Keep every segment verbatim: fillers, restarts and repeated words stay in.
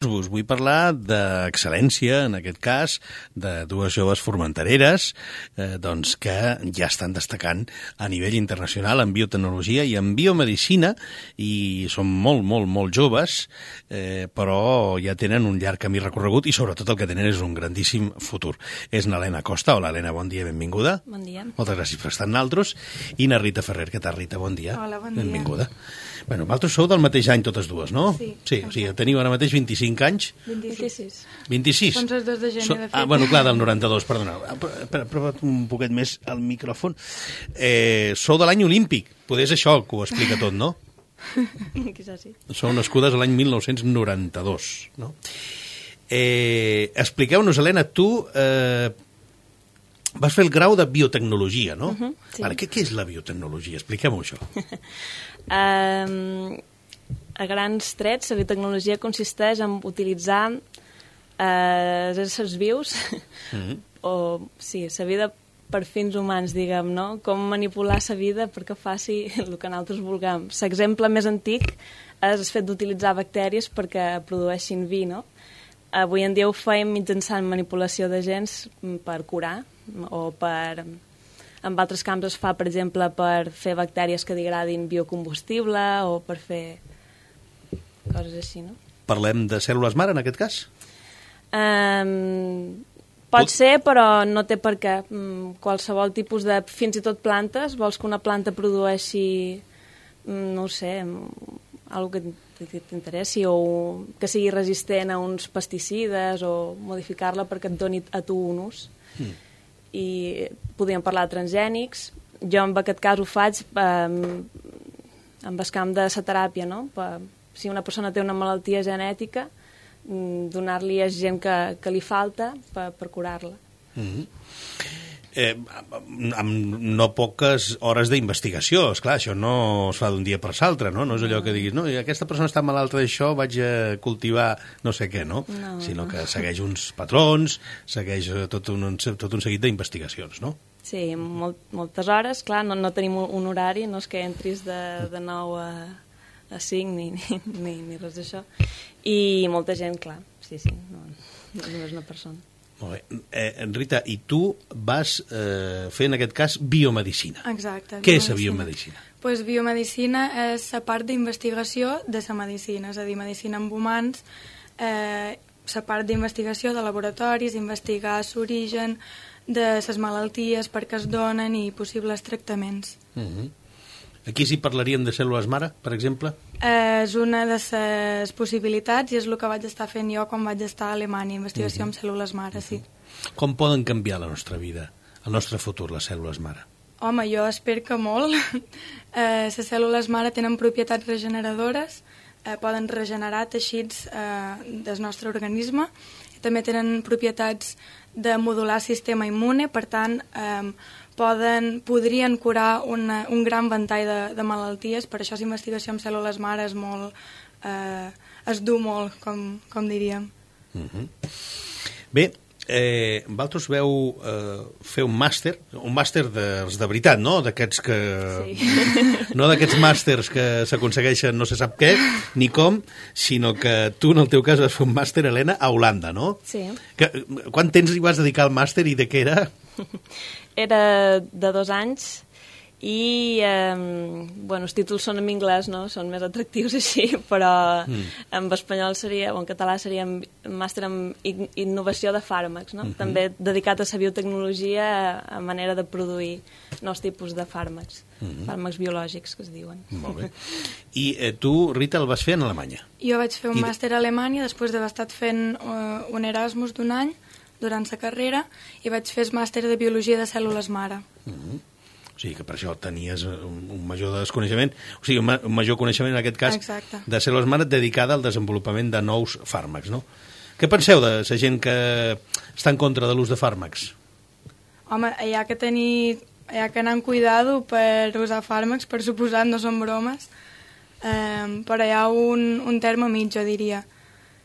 Us vull parlar d'excel·lència, en aquest cas, de dues joves formentereres eh, doncs que ja estan destacant a nivell internacional en biotecnologia i en biomedicina, i són molt, molt, molt joves, eh, però ja tenen un llarg camí recorregut i sobretot el que tenen és un grandíssim futur. És na Helena Costa. Hola, Helena, bon dia, benvinguda. Bon dia. Moltes gràcies per estar amb nosaltres. I na Rita Ferrer. Què tal, Rita? Bon dia. Hola, bon dia. Benvinguda. Bueno, vosaltres sou del mateix any totes dues, no? Sí. Sí, o sigui, teniu ara mateix vint-i-cinc anys. vint-i-sis. vint-i-sis? Som els dos de gener, So, de fet. ah, bueno, clar, del noranta-dos, perdona. Espera, prova't un poquet més el micròfon. Eh, sou de l'any olímpic. Poder és això que ho explica tot, no? Quizás sí. Sou nascudes l'any mil nou-cents noranta-dos, no? Eh, expliqueu-nos, Helena, tu eh, vas fer el grau de biotecnologia, no? Uh-huh, sí. Vale, què, què és la biotecnologia? Expliquem-ho, això. Um, a grans trets, la biotecnologia consisteix en utilitzar eh, éssers vius, Mm-hmm. o sí, la vida per fins humans, diguem, no? Com manipular la vida perquè faci el que nosaltres vulguem. L'exemple més antic és el fet d'utilitzar bactèries perquè produeixin vi, no? Avui en dia ho fem mitjançant manipulació de gens per curar, o per... En altres camps es fa, per exemple, per fer bactèries que degradin biocombustible o per fer coses així, no? Parlem de cèl·lules mare, en aquest cas? Um, pot Pot- ser, però no té per què. Mm, qualsevol tipus de... Fins i tot plantes, vols que una planta produeixi, mm, no ho sé, algo que t'interessi o que sigui resistent a uns pesticides o modificar-la perquè et doni a tu un ús. Mm. I podríem parlar de transgènics. Jo en aquest cas ho faig eh, amb el camp de la teràpia, no? Per, si una persona té una malaltia genètica, mm, donar-li a gent que, que li falta per, per curar-la. Mm-hmm. Eh, amb no poques hores d'investigació, esclar, això no es fa d'un dia per l'altre, no? No és allò que diguis, no, aquesta persona està malalta d'això, vaig a cultivar no sé què, no? No, Sinó no. que segueix uns patrons, segueix tot un, tot un seguit d'investigacions, no? Sí, molt, moltes hores, clar, no, no tenim un horari, no és que entris de, de nou a, a cinc ni, ni, ni, ni res d'això. I molta gent, clar, sí, sí, no, no és una persona. Molt bé. Eh, Rita, i tu vas eh, fer, en aquest cas, biomedicina. Exacte. Què és la biomedicina? Pues biomedicina és la part d'investigació de la medicina, és a dir, medicina amb humans, eh, la part d'investigació de laboratoris, investigar l'origen de les malalties, per què es donen i possibles tractaments. Uh-huh. Aquí sí parlaríem de cèl·lules mare, per exemple? Eh, és una de les possibilitats i és el que vaig estar fent jo quan vaig estar a Alemanya, investigació uh-huh. amb cèl·lules mare, sí. Com poden canviar la nostra vida, el nostre futur, les cèl·lules mare? Home, jo espero que molt. Eh, les cèl·lules mare tenen propietats regeneradores, eh, poden regenerar teixits eh, del nostre organisme, també tenen propietats de modular el sistema immune, per tant, eh, poden, podrien curar una, un gran ventall de, de malalties, per això la investigació amb cèl·lules mare és molt, eh, es du molt, com, com diríem. Uh-huh. Bé, eh, vosaltres veu eh, fer un màster, un màster dels de veritat, no? D'aquests que... Sí. No d'aquests màsters que s'aconsegueixen no se sap què, ni com, sinó que tu, en el teu cas, vas fer un màster, Helena, a Holanda, no? Sí. Que, quant temps hi vas dedicar al màster i de què era? Era de dos anys i, eh, bueno, els títols són en anglès, no? Són més atractius així, però mm. en espanyol seria, o en català seria màster en innovació de fàrmacs, no? Mm-hmm. També dedicat a la biotecnologia, a manera de produir nous tipus de fàrmacs, mm-hmm. fàrmacs biològics, que es diuen. Molt bé. I eh, tu, Rita, el vas fer en Alemanya? Jo vaig fer un I... màster a Alemanya després d'haver estat fent uh, un Erasmus d'un any durant la carrera i vaig fer el màster de biologia de cèl·lules mare. Mm-hmm. O sigui que per això tenies un, un major desconeixement, o sigui, un, ma un major coneixement, en aquest cas, Exacte. de cèl·lules mare dedicada al desenvolupament de nous fàrmacs, no? Què penseu de la gent que està en contra de l'ús de fàrmacs? Home, hi ha que tenir, hi ha que anar amb cuidado per usar fàrmacs, per suposat, no són bromes, eh, però hi ha un, un terme mig, jo diria.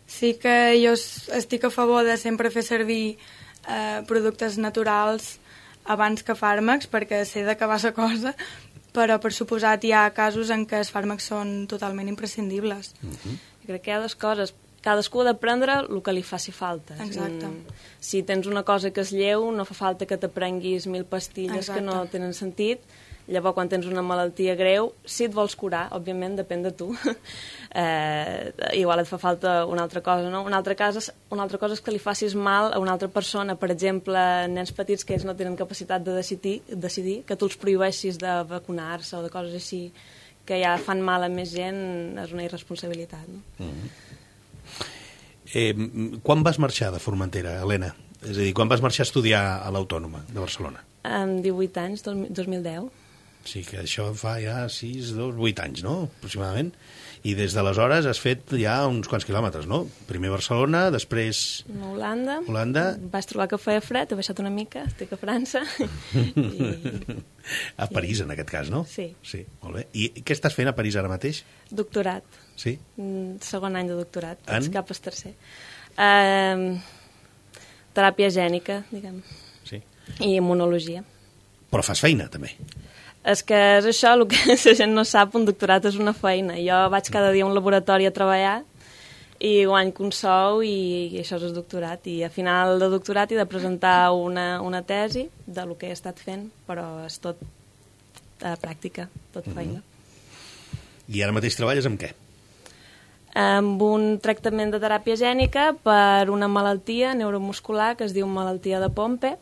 Sí que jo estic a favor de sempre fer servir eh, productes naturals abans que fàrmacs, perquè sé d'acabar la cosa, però per suposat hi ha casos en què els fàrmacs són totalment imprescindibles. Uh-huh. Jo crec que hi ha dues coses. cadascú ha d'aprendre el que li faci falta. Exacte. Si tens una cosa que és lleu, no fa falta que t'aprenguis mil pastilles Exacte. que no tenen sentit. Llavors, quan tens una malaltia greu, si et vols curar, òbviament, depèn de tu. eh, igual et fa falta una altra cosa, no? Una altra, cosa, una altra cosa és que li facis mal a una altra persona, per exemple, nens petits que ells no tenen capacitat de decidir, decidir que tu els prohibeixis de vacunar-se o de coses així que ja fan mal a més gent, és una irresponsabilitat, no? Mm-hmm. Eh, quan vas marxar de Formentera, Helena? És a dir, quan vas marxar a estudiar a l'Autònoma de Barcelona? Amb divuit anys, dos mil deu. Sí, que això fa ja sis, dos, vuit anys, no?, aproximadament. I des d'aleshores has fet ja uns quants quilòmetres, no? Primer Barcelona, després... A Holanda. Holanda. Vaig trobar que feia fred, he baixat una mica, estic a França. I... A París, en aquest cas, no? Sí. Sí, molt bé. I què estàs fent a París ara mateix? Doctorat. Sí? Segon any de doctorat. En? Cap al tercer. Uh, teràpia gènica, diguem. Sí. I immunologia. Però fas feina, també. És que és això, el que la gent no sap, un doctorat és una feina. Jo vaig cada dia a un laboratori a treballar i guanyo un sou i, i això és el doctorat. I a final de doctorat he de presentar una, una tesi del que he estat fent, però és tot a pràctica, tot feina. Mm-hmm. I ara mateix treballes amb què? Amb un tractament de teràpia gènica per una malaltia neuromuscular que es diu malaltia de Pompe.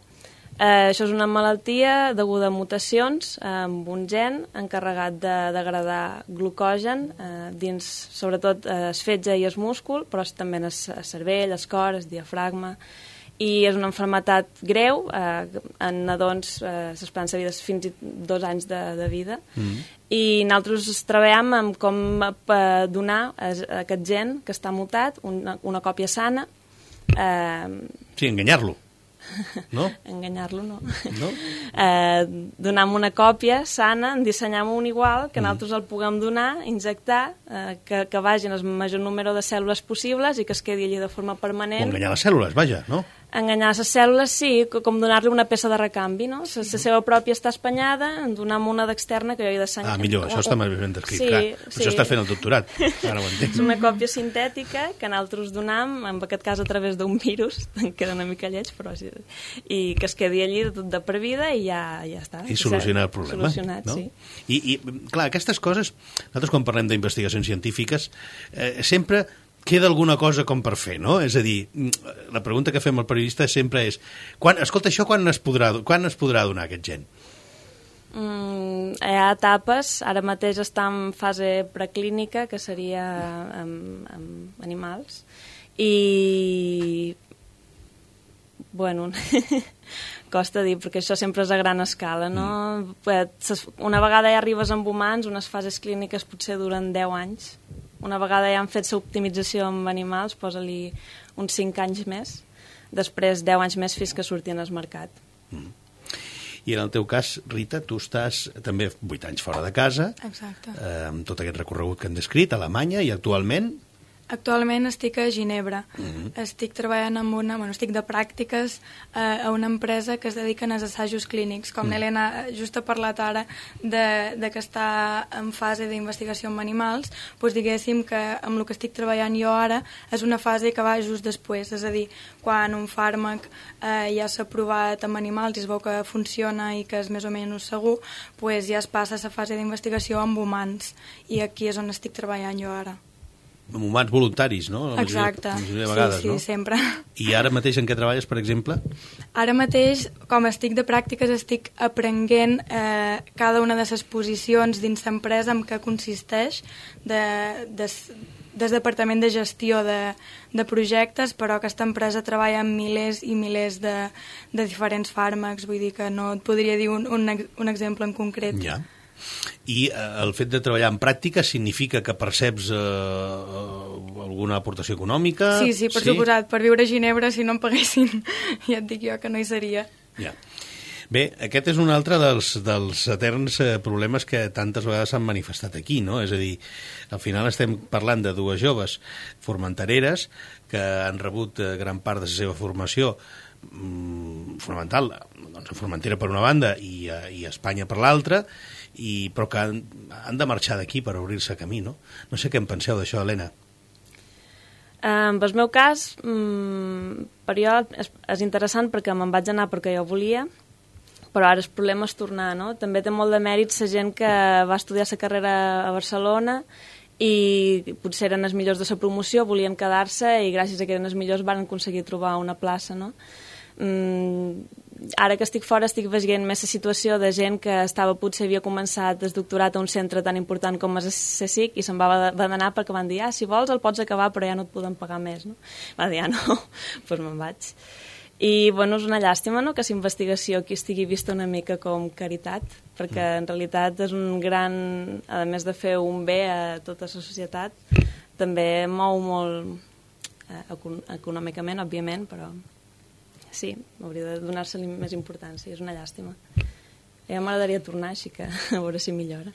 Eh, això és una malaltia deguda a mutacions amb un gen encarregat de degradar glucogen eh, dins, sobretot, eh, es fetge i es múscul, però també en el cervell, el cor, el diafragma, i és una malaltia greu, eh, en nadons eh, s'esperança de vida és fins i dos anys de, de vida, mm. i nosaltres treballem amb com eh, donar a aquest gen que està mutat una, una còpia sana. Eh, sí, enganyar-lo. No? Enganyar-lo, no. No? Eh, donar una còpia sana, dissenyar un igual, que nosaltres el puguem donar, injectar, eh, que, que vagin el major número de cèl·lules possibles i que es quedi allí de forma permanent. O enganyar les cèl·lules, vaja, no? Enganyar les cèl·lules, sí, com donar-li una peça de recanvi, no? La seva pròpia està espanyada, en donem una d'externa que jo he d'assenyar. Ah, millor, això està més ben descrit, sí, clar. Sí. Això estàs fent el doctorat, ara ho entenc. És una còpia sintètica que nosaltres donem, en aquest cas a través d'un virus, em queda una mica lleig, però sí, i que es quedi allí de, de per vida i ja, ja està. I solucionar el problema. Solucionat, no? sí. I, I, clar, aquestes coses, nosaltres quan parlem d'investigacions científiques, eh, sempre queda alguna cosa com per fer, no? És a dir, la pregunta que fem al periodista sempre és, quan, escolta, això quan es podrà, quan es podrà donar aquest gen? Mm, hi ha etapes, ara mateix està en fase preclínica, que seria amb, amb animals, i bueno, costa dir, perquè això sempre és a gran escala, no? Mm. Una vegada ja arribes amb humans, unes fases clíniques potser duren deu anys. Una vegada ja han fet l'optimització amb animals, posa-li uns cinc anys més, després deu anys més fins que surtin al mercat. Mm. I en el teu cas, Rita, tu estàs també vuit anys fora de casa, exacte, eh, amb tot aquest recorregut que hem descrit, a Alemanya, i actualment... Actualment estic a Ginebra. Mm-hmm. Estic treballant amb una... Bueno, estic de pràctiques eh, a una empresa que es dediquen als assajos clínics. Com mm. l'Helena just ha parlat ara de, de que està en fase d'investigació amb animals, doncs diguéssim que amb el que estic treballant jo ara és una fase que va just després. És a dir, quan un fàrmac eh, ja s'ha provat amb animals i es veu que funciona i que és més o menys segur, doncs ja es passa a la fase d'investigació amb humans. I aquí és on estic treballant jo ara. Amb humans voluntaris, no? La Exacte, majoria de vegades, sí, sí, no? sempre. I ara mateix en què treballes, per exemple? Ara mateix, com estic de pràctiques, estic aprenent eh, cada una de les posicions dins l'empresa en què consisteix de, de, des departament de gestió de, de projectes, però aquesta empresa treballa amb milers i milers de, de diferents fàrmacs, vull dir que no et podria dir un, un, un exemple en concret. Ja. I eh, el fet de treballar en pràctica significa que perceps eh, alguna aportació econòmica? Sí, sí, per sí? suposat. Per viure a Ginebra, si no em paguessin, ja et dic jo que no hi seria. Ja. Bé, aquest és un altre dels, dels eterns eh, problemes que tantes vegades s'han manifestat aquí, no? És a dir, al final estem parlant de dues joves formentereres que han rebut eh, gran part de la seva formació mm, fonamental, doncs a Formentera per una banda i a, i a Espanya per l'altra, i, però que han, han de marxar d'aquí per obrir-se camí, no? No sé què en penseu d'això, Helena. En el meu cas, mmm, per jo és, és interessant perquè me'n vaig anar perquè jo volia, però ara el problema és tornar, no? També té molt de mèrit la gent que va estudiar la carrera a Barcelona i potser eren els millors de la promoció, volien quedar-se i gràcies a que eren els millors van aconseguir trobar una plaça, no? Mm, ara que estic fora estic veient més la situació de gent que estava, potser havia començat el doctorat a un centre tan important com és C S I C i se'n va, va anar perquè van dir, ah, si vols el pots acabar però ja no et poden pagar més, no? Va dir, ah, no, doncs pues me'n vaig. I, bueno, és una llàstima, no?, que la investigació aquí estigui vista una mica com caritat, perquè en realitat és un gran, a més de fer un bé a tota la societat, també mou molt eh, econòmicament, òbviament, però sí, hauria de donar-se-li més importància, és una llàstima. Ja m'agradaria tornar, així que a veure si millora.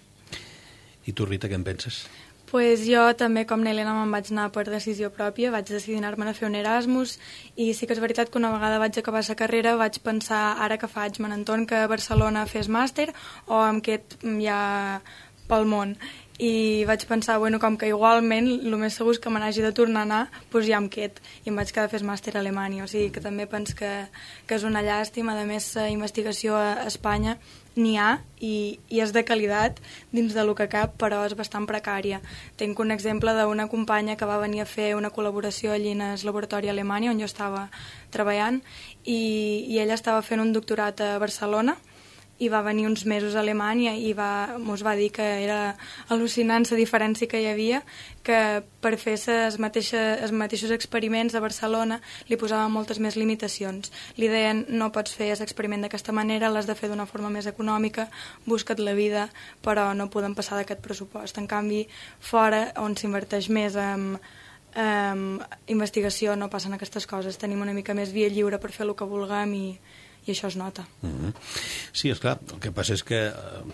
I tu, Rita, què en penses? Pues jo també, com n'Helena, me'n vaig anar per decisió pròpia, vaig decidir anar-me'n a fer un Erasmus i sí que és veritat que una vegada vaig acabar la carrera vaig pensar, ara que faig, me n'entorn que a Barcelona fes màster o em qued ja pel món. I vaig pensar, bueno, com que igualment el més segur és que me n'hagi de tornar a anar, doncs ja em qued i em vaig quedar a fer màster a Alemanya, o sigui que també penso que, que és una llàstima. A més, la investigació a Espanya n'hi ha i, i és de qualitat dins de lo que cap, però és bastant precària. Tinc un exemple d'una companya que va venir a fer una col·laboració allí en el laboratori a Alemanya, on jo estava treballant, i, i ella estava fent un doctorat a Barcelona, i va venir uns mesos a Alemanya i va, mos va dir que era al·lucinant la diferència que hi havia, que per fer els mateixos, mateixos experiments a Barcelona li posaven moltes més limitacions. Li deien, no pots fer l'experiment d'aquesta manera, l'has de fer d'una forma més econòmica, busca't la vida, però no podem passar d'aquest pressupost. En canvi, fora, on s'inverteix més en, en investigació, no passen aquestes coses. Tenim una mica més via lliure per fer el que vulguem i i això es nota. Mm-hmm. Sí, és clar. El que passa és que,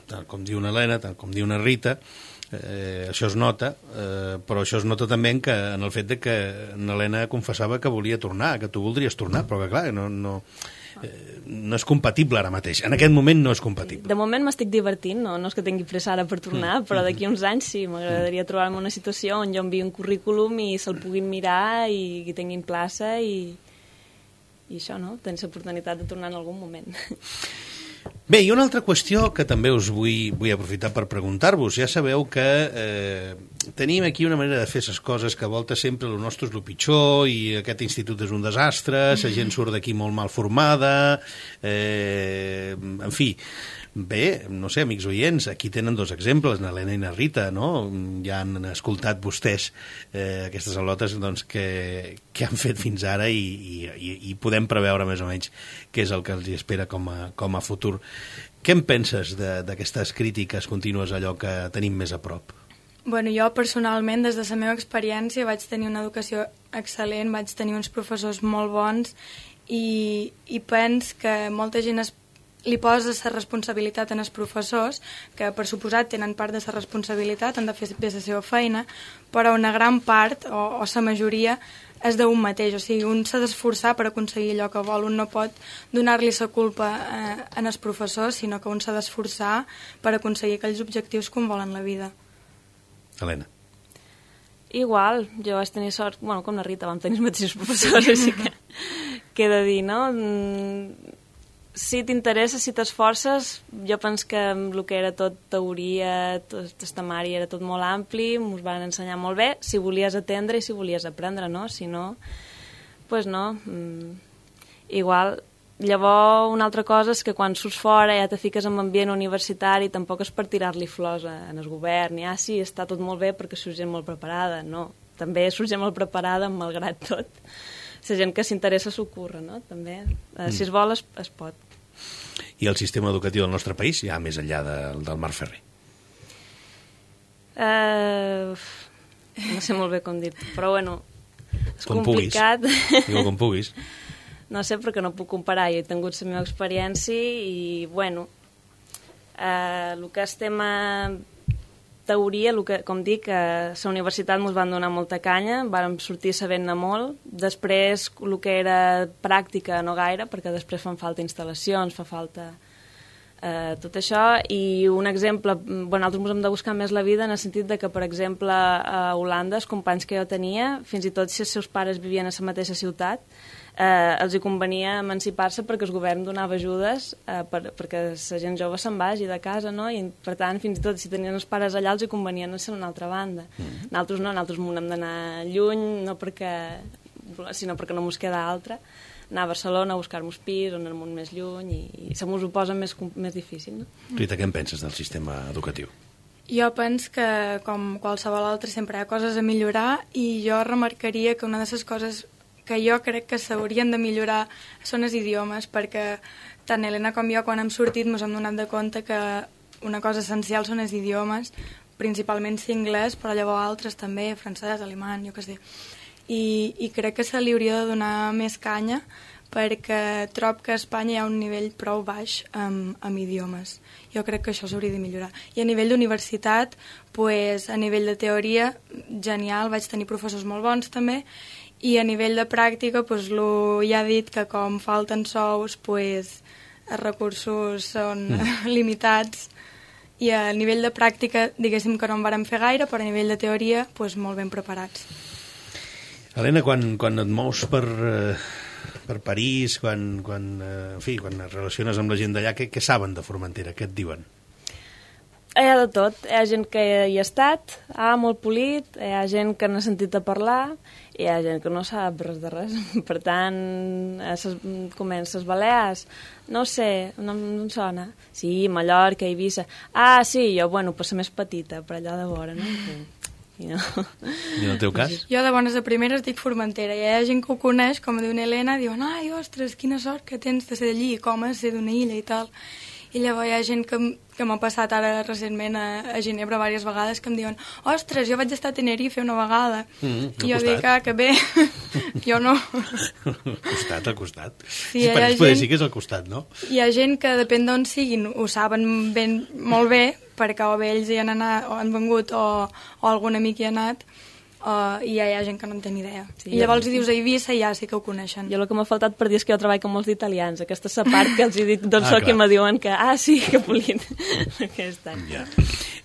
tal com diu una Helena, tal com diu una Rita, eh, això es nota, eh, però això es nota també en, que, en el fet de que una Helena confessava que volia tornar, que tu voldries tornar, però que clar, no, no, eh, no és compatible ara mateix. En aquest moment no és compatible. De moment m'estic divertint, no, no és que tingui pressa ara per tornar, mm. però d'aquí uns anys sí, m'agradaria trobar-me una situació on jo enviï un currículum i se'l puguin mirar i que tinguin plaça i... i això, no? Tens l'oportunitat de tornar en algun moment. Bé, i una altra qüestió que també us vull, vull aprofitar per preguntar-vos. Ja sabeu que eh, tenim aquí una manera de fer les coses que a volta sempre el nostre és el pitjor i aquest institut és un desastre, la gent surt d'aquí molt mal formada, eh, en fi... Bé, no sé, amics oients, aquí tenen dos exemples, na Helena i na Rita, no? Ja han escoltat vostès eh, aquestes al·lotes doncs, que, que han fet fins ara i, i, i podem preveure més o menys què és el que els espera com a, com a futur. Què en penses d'aquestes crítiques contínues, allò que tenim més a prop? Bueno, jo personalment, des de la meva experiència, vaig tenir una educació excel·lent, vaig tenir uns professors molt bons i, i penso que molta gent es li posa la responsabilitat en els professors, que per suposat tenen part de la responsabilitat, han de fer bé la seva feina, però una gran part, o, o la majoria, és d'un mateix. O sigui, un s'ha d'esforçar per aconseguir allò que vol. Un no pot donar-li la culpa eh, en els professors, sinó que un s'ha d'esforçar per aconseguir aquells objectius que un vol en la vida. Helena. Igual, jo vaig tenir sort, bueno, com la Rita, vam tenir els mateixos professors, així que què he de dir, no? Mm, si t'interessa, si t'esforces, jo penso que el que era tot teoria, tot testamari, era tot molt ampli, ens van ensenyar molt bé, si volies atendre i si volies aprendre, no? Si no, doncs pues no. Mm, igual, llavors una altra cosa és que quan surts fora ja te fiques en ambient universitari, tampoc és per tirar-li flors en el govern, i ah, sí, està tot molt bé perquè surt gent molt preparada, no. També surt gent molt preparada, malgrat tot. La gent que s'interessa s'ocorre, no? També, eh, si es vol, es, es pot. I el sistema educatiu del nostre país, ja més enllà de, del Mar Ferrer? Uh, no sé molt bé com dir-te, però bueno, és com complicat. Puguis. Digue com puguis. No sé, perquè no puc comparar. Jo he tingut la meva experiència i, bueno, uh, el que és tema teoria, el que, com dic, a la universitat ens van donar molta canya, vàrem sortir sabent-ne molt. Després, el que era pràctica, no gaire, perquè després fan falta instal·lacions, fa falta Uh, tot això, i un exemple, bueno, nosaltres ens hem de buscar més la vida en el sentit de que, per exemple, a Holanda, els companys que jo tenia, fins i tot si els seus pares vivien a la mateixa ciutat, eh, els hi convenia emancipar-se perquè el govern donava ajudes eh, per, perquè la gent jove se'n vagi de casa, no? I per tant, fins i tot si tenien els pares allà, els hi convenia anar a una altra banda. Mm. Nosaltres no, nosaltres m'ho hem d'anar lluny, no perquè, sinó perquè no mos queda altra, anar a Barcelona a buscar-nos pis, on anem més lluny, i, i se mos ho posa més, més difícil. No? Rita, què en penses del sistema educatiu? Jo penso que, com qualsevol altre, sempre hi ha coses a millorar, i jo remarcaria que una de les coses que jo crec que s'haurien de millorar són els idiomes, perquè tant Helena com jo, quan hem sortit, ens hem donat de compte que una cosa essencial són els idiomes, principalment si anglès, però llavors altres també, francès, alemany, jo què sé. I, i crec que se li hauria de donar més canya, perquè trob que a Espanya hi ha un nivell prou baix amb, amb idiomes. Jo crec que això s'hauria de millorar. I a nivell d'universitat, pues, a nivell de teoria, genial, vaig tenir professors molt bons també, i a nivell de pràctica, pues, lo, ja ha dit que com falten sous, pues, els recursos són mm. limitats, i a nivell de pràctica, diguéssim que no en vàrem fer gaire, però a nivell de teoria, pues, molt ben preparats. Helena, quan, quan et mous per, eh, per París, quan, quan, eh, en fi, quan et relaciones amb la gent d'allà, què, què saben de Formentera? Què et diuen? Hi ha de tot. Hi ha gent que hi ha estat, ah, molt polit, hi ha gent que n'ha sentit a parlar, i hi ha gent que no sap res de res. Per tant, ses, comença les Balears, no ho sé, no, no em sona. Sí, Mallorca, Eivissa. Ah, sí, jo, bueno, per ser més petita, per allà de vora, no? I no. I en el teu cas? Jo de bones a primeres dic Formentera, i hi ha gent que ho coneix, com diu una Helena, diuen, ai, ostres, quina sort que tens de ser d'allí, com és ser d'una illa i tal. I llavors hi ha gent que, que m'ha passat ara recentment a, a Ginebra diverses vegades que em diuen, ostres, jo vaig estar a Tenerife una vegada. Mm, I jo dic, ah, que bé, jo no. Al costat, al costat. Sí, sí, per ells poder dir que és al costat, no? Hi ha gent que, depèn d'on siguin, ho saben ben, molt bé, perquè o bé ells hi han anat, o han vengut, o, o algun amic hi ha anat, uh, i ja hi ha gent que no en té ni idea. Sí, I llavors hi dius a Eivissa i ja sí que ho coneixen. Jo el que m'ha faltat per dir és que jo treballo amb molts italians. Aquesta és la part que els hi dic d'on ah, soc i me diuen que, ah, sí, que polit. Aquesta. Ja.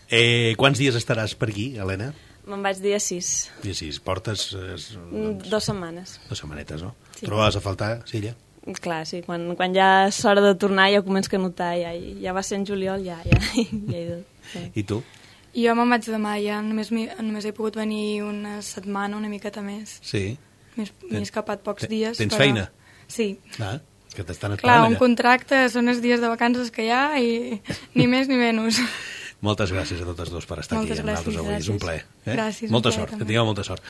Eh, quants dies estaràs per aquí, Helena? Me'n vaig dia sis. Dia sis. Portes... Eh, doncs, dos setmanes. Dos setmanetes, no? Sí. Trobaves a faltar, Silla? Clar, sí. Quan, quan ja és hora de tornar ja començo a notar. Ja, ja va ser en juliol, ja, ja, ja he dut. Sí. I tu? Jo me'n vaig demà, ja només, només he pogut venir una setmana, una miqueta més. Sí. M'he escapat pocs dies. Tens però... feina? Sí. Ah, que t'estan esperant Clar, allà. un contracte són els dies de vacances que hi ha i ni més ni menys. Moltes gràcies a totes dos per estar Moltes aquí amb nosaltres avui. Gràcies. És un plaer. Eh? Gràcies. Molta un plaer, sort, també. que tingueu molta sort.